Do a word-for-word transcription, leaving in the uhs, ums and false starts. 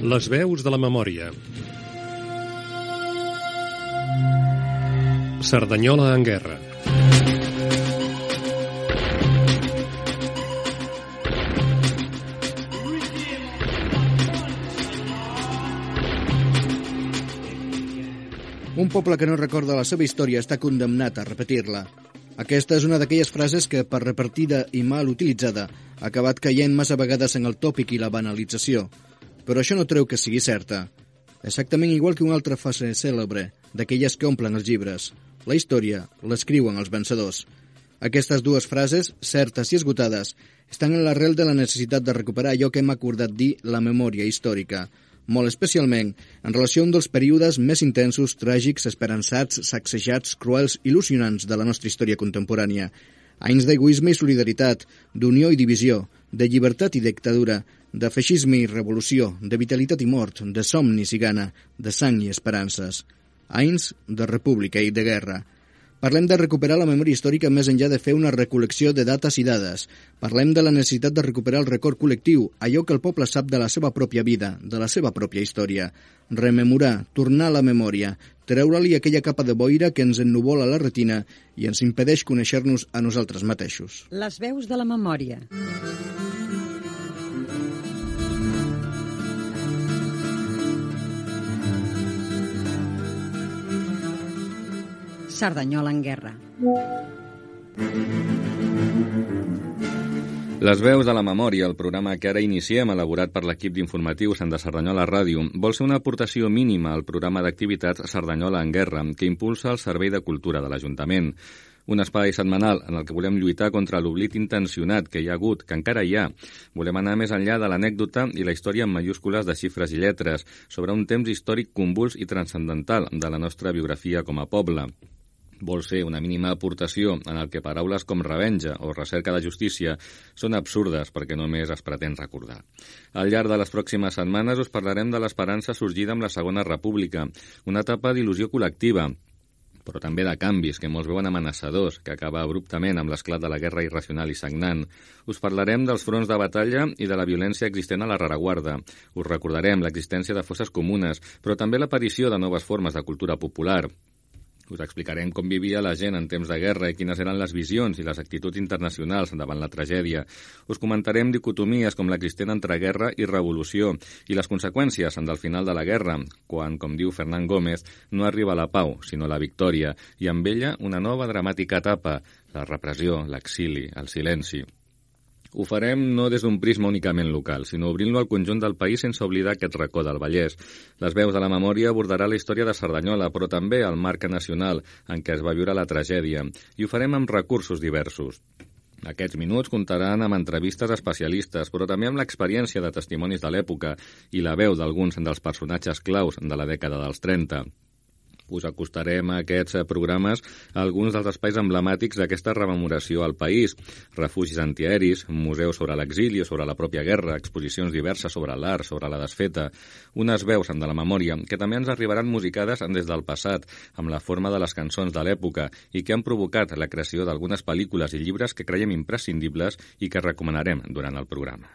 Les veus de la memòria. Cerdanyola en guerra. Un poble que no recorda la seva història està condemnat a repetir-la. Aquesta és una d'aquelles frases que, per repartida i mal utilitzada, ha acabat caient massa vegades en el tòpic i la banalització. Però això no treu que sigui certa. Exactament igual que una altra frase cèlebre, d'aquelles que omplen els llibres. La història l'escriuen els vencedors. Aquestes dues frases, certes i esgotades, estan en l'arrel de la necessitat de recuperar allò que hem acordat dir la memòria històrica, molt especialment en relació a un dels períodes més intensos, tràgics, esperançats, sacsejats, cruels, il·lusionants de la nostra història contemporània. Anys d'egoisme i solidaritat, d'unió i divisió, de llibertat i dictadura, de feixisme i revolució, de vitalitat i mort, de somnis i gana, de sang i esperances. Anys de república i de guerra. Parlem de recuperar la memòria històrica més enllà de fer una recol·lecció de dates i dades. Parlem de la necessitat de recuperar el record col·lectiu, allò que el poble sap de la seva pròpia vida, de la seva pròpia història. Rememorar, tornar a la memòria, treure-li aquella capa de boira que ens ennuvola la retina i ens impedeix conèixer-nos a nosaltres mateixos. Les veus de la memòria. Cerdanyola en guerra. Les veus de la memòria, el programa que ara iniciem, elaborat per l'equip d'informatius de Cerdanyola Ràdio, vol ser una aportació mínima al programa d'activitats Cerdanyola en guerra, que impulsa el Servei de Cultura de l'Ajuntament. Un espai setmanal en el que volem lluitar contra l'oblit intencionat que hi ha hagut, que encara hi ha. Volem anar més enllà de l'anècdota i la història en majúscules de xifres i lletres, sobre un temps històric convuls i transcendental de la nostra biografia com a poble. Vol ser una mínima aportació en el que paraules com revenja o recerca de justícia són absurdes perquè només es pretén recordar. Al llarg de les pròximes setmanes us parlarem de l'esperança sorgida amb la Segona República, una etapa d'il·lusió col·lectiva, però també de canvis que molts veuen amenaçadors, que acaba abruptament amb l'esclat de la guerra irracional i sagnant. Us parlarem dels fronts de batalla i de la violència existent a la rereguarda. Us recordarem l'existència de fosses comunes, però també l'aparició de noves formes de cultura popular. Us explicarem com vivia la gent en temps de guerra i quines eren les visions i les actituds internacionals davant la tragèdia. Us comentarem dicotomies com l'existent entre guerra i revolució i les conseqüències del final de la guerra, quan, com diu Fernán Gómez, no arriba la pau, sinó la victòria, i amb ella una nova dramàtica etapa, la repressió, l'exili, el silenci. Ho farem no des d'un prisma únicament local, sinó obrint-lo al conjunt del país sense oblidar aquest racó del Vallès. Les veus de la memòria abordarà la història de Cerdanyola, però també el marc nacional en què es va viure la tragèdia, i ho farem amb recursos diversos. Aquests minuts comptaran amb entrevistes especialistes, però també amb l'experiència de testimonis de l'època i la veu d'alguns dels personatges claus de la dècada dels trenta. Us acostarem a aquests programes a alguns dels espais emblemàtics d'aquesta rememoració al país. Refugis antiaeris, museus sobre l'exili o sobre la pròpia guerra, exposicions diverses sobre l'art, sobre la desfeta, unes veus de la memòria que també ens arribaran musicades des del passat, amb la forma de les cançons de l'època i que han provocat la creació d'algunes pel·lícules i llibres que creiem imprescindibles i que recomanarem durant el programa.